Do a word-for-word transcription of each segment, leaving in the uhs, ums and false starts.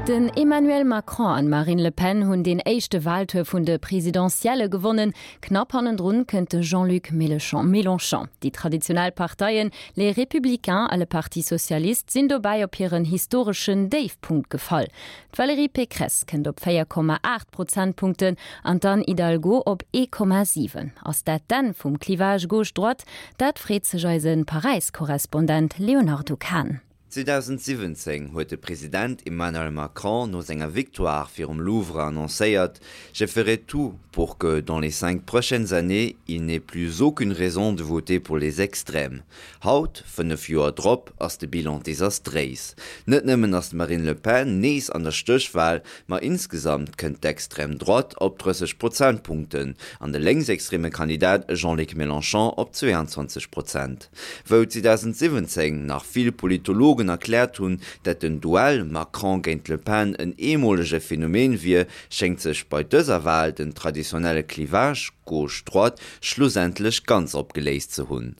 Den Emmanuel Macron an Marine Le Pen hunn den éischte Waltour vun de Presidentielle gewonnen. Knapp hannendrun kënnt de Jean-Luc Mélenchon. Déi traditionell Parteien, Les Républicains a le Parti Socialiste, sinn dobäi op hiren historeschen Déifpunkt gefall. D'Valérie Pécresse kënnt op véier Komma aacht Prozentpunkten an d'Anne Hidalgo op ee Komma siwen. Ass dat d'Enn vum Clivage Gauche-Droite? Dat freet sech eise Paräis-Korrespondent Léonardo Kahn. zweedausendsiwwenzéng huet de President Emmanuel Macron no senger Victoire virum Louvre annoncéiert, Je ferai tout pour que, dans les cinq prochaines années, il n'ait plus aucune raison de voter pour les extrêmes. Haut, fënnef Joer drop, ass de Bilan desastréis. Net nëmmen ass d'Marine Le Pen nees an der Stéchwal, ma insgesamt kënnt d'Extrême droite op drësseg Prozentpunkten an de lénksextreme Kandidat Jean-Luc Mélenchon op zweeanzwanzeg Prozent. Wou zweedausendsiwwenzéng nach vill Politologen erkläert hunn, dat den Duell Macron géint Le Pen en eemolege Phänomen wier, schéngt sech bei dëser Wal den traditionelle Clivage Gauche-Droite schlussendlech ganz opgeléist ze hunn.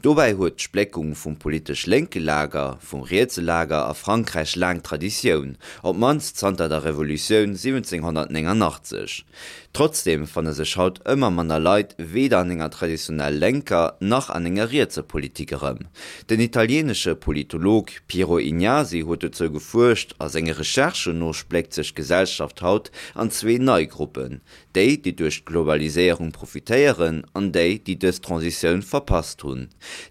Dobäi huet d'Spléckung vum politesch lénke Lager vum rietse Lager a Frankräich laang Traditioun, op d'mannst zanter der Revolutioun siwwenzénghonnertnéngannachtzeg. Trotzdeem fanne sech haut ëmmer manner Leit weder an enger traditionell lénker nach an enger rietser Politik erëm. Den italieenesche Politolog Piero Ignazi huet dozou gefuerscht a senge Recherchen no spléckt sech d'Gesellschaft haut an zwee nei Gruppen, déi, déi duerch d'Globaliséierung profitéieren an déi, déi dës Transitioun verpasst hunn.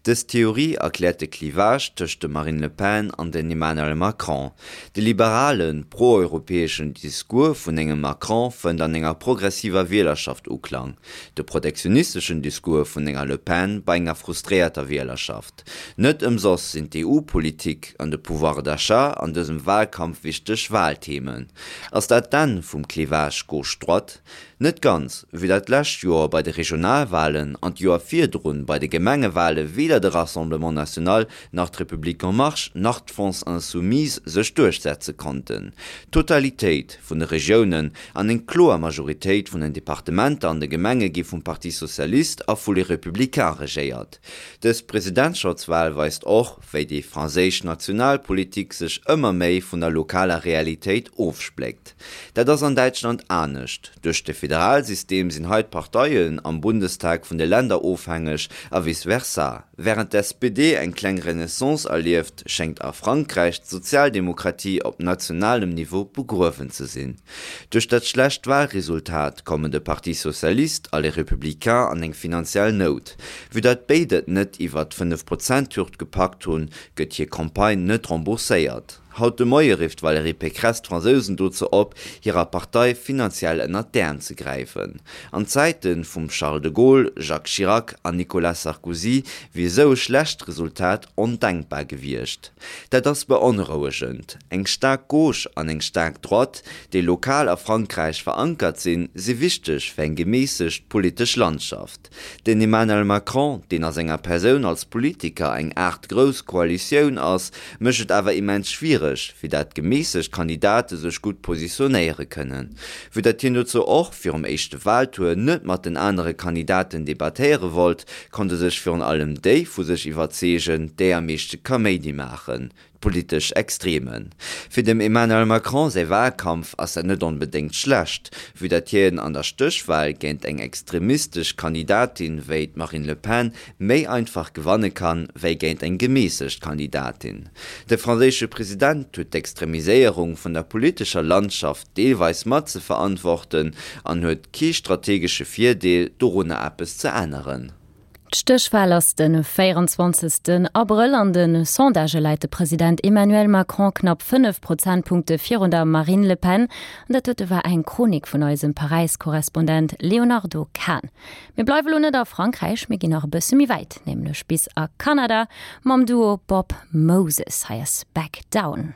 Dës Theorie erkläert de Clivage tëscht dem Marine Le Pen an den Emmanuel Macron. De liberalen, pro-europäeschen Discours vun engem Macron fënnt an enger progressiver Wielerschaft Uklang, de protektionisteschen Discours vun enger Le Pen bei enger frustréierter Wielerschaft. Net ëmsoss sinn d'EU-Politik an de Pouvoir d'achat an dësem Walkampf wichteg Walthemen. Ass dat d'Enn vum Clivage Gauche-Droite? Net ganz, vue dat d'lescht Joer bei de Regionalwalen an d'Joer virdrun bei de Gemengewale weder de Rassemblement National nach d'Republique en Marche nach d'France Insoumise sech duerchsetze konnten. D'Totalitéit vun de Regiounen an eng kloer Majoritéit vun den Departementer an de Gemenge gi vum Parti Socialiste a vu Les Républicains regéiert. Dës Presidentschaftswal weist och, wéi déi franséisch Nationalpolitik sech ëmmer méi vun der lokaler Realitéit ofspléckt. Dat ass an Däitschland anescht. Duerch de Federalsystem sinn hei d'Parteien am Bundestag vun de Länder ofhängeg a vice versa. Wärend d'S P D eng kleng Renaissance erlieft, schéngt a Frankräich d'Sozialdemokratie op nationalem Niveau begruewen ze sinn. Duerch dat schlecht Walresultat kommen de Parti Socialiste a Les Républicains an eng finanziell Nout. Vue dat béid et net iwwer d'Fënnef-Prozent-Hürd gepackt hunn, gëtt hir Campagne net rembourséiert. Haut de Moie rifft d'Valérie Pécresse d'Fransousen dozou op, hirer Partei finanziell ënnert d'Äerm ze gräifen. An Zäite vum Charles de Gaulle, Jacques Chirac an Nicolas Sarkozy wier esou e schlecht Resultat ondenkbar gewiescht. Dat ass beonrouegend. Eng staark Gauche an eng staark Droite, déi lokal a Frankräich verankert sinn, si wichteg fir eng geméissegt politesch Landschaft. Den Emmanuel Macron, deen a senger Persoun als Politiker eng Aart grouss Koalitioun ass, mécht et awer immens schwiereg, fir dat geméissegt Kandidate sech gutt positionéiere kënnen. Vue dat hien dozou och virum éischte Waltour net mat den anere Kandidaten debattéiere wollt, konnte sech virun allem déi vu sech iwwerzeegen, déi am meeschte Kaméidi maachen, d'politesch Extremen. Fir dem Emmanuel Macron säi Walkampf ass dat net onbedéngt schlecht, vue dat hien an der Stéchwal géint eng extremistesch Kandidatin wéi d'Marine Le Pen méi einfach gewanne kann, wéi géint eng geméissegt Kandidatin. De franséische President huet d'Extremiséierung vun der politescher Landschaft deelweis mat ze verantworten an huet kee strategesche Virdeel, dorunner eppes ze änneren. D'Stéchwal ass de véieranzwanzegsten Abrëll. An de Sondagë läit de President Emmanuel Macron knapp fënnef Prozentpunkte virun der Marine Le Pen. An dat dote war eng Chronik vun eisem Paräis-Korrespondent Léonardo Kahn. Mir bleiwe lo net a Frankräich, mir ginn nach e bësse méi wäit, nämlech bis a Kanada mam Duo Bob Moses. Hei ass Back Down.